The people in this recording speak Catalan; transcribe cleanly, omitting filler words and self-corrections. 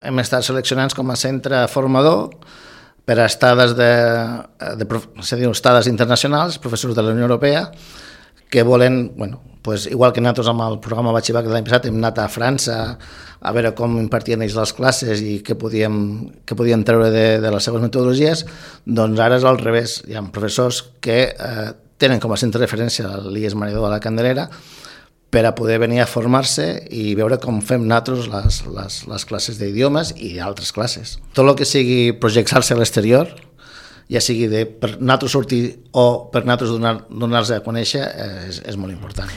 Hem estat seleccionats com a centre formador per a estades estades internacionals, professors de la Unió Europea, que volen, igual que nosaltres amb el programa Batxibac de l'any passat hem anat a França a veure com impartien ells les classes i què podien treure de les seves metodologies, doncs ara és al revés. Hi ha professors que tenen com a centre de referència l'IES Maredó de la Candelera per a poder venir a formar-se i veure com fem nosaltres les classes d'idiomes i altres classes. Tot el que sigui projectar-se a l'exterior, ja sigui per nosaltres sortir o per nosaltres donar-se a conèixer, és molt important.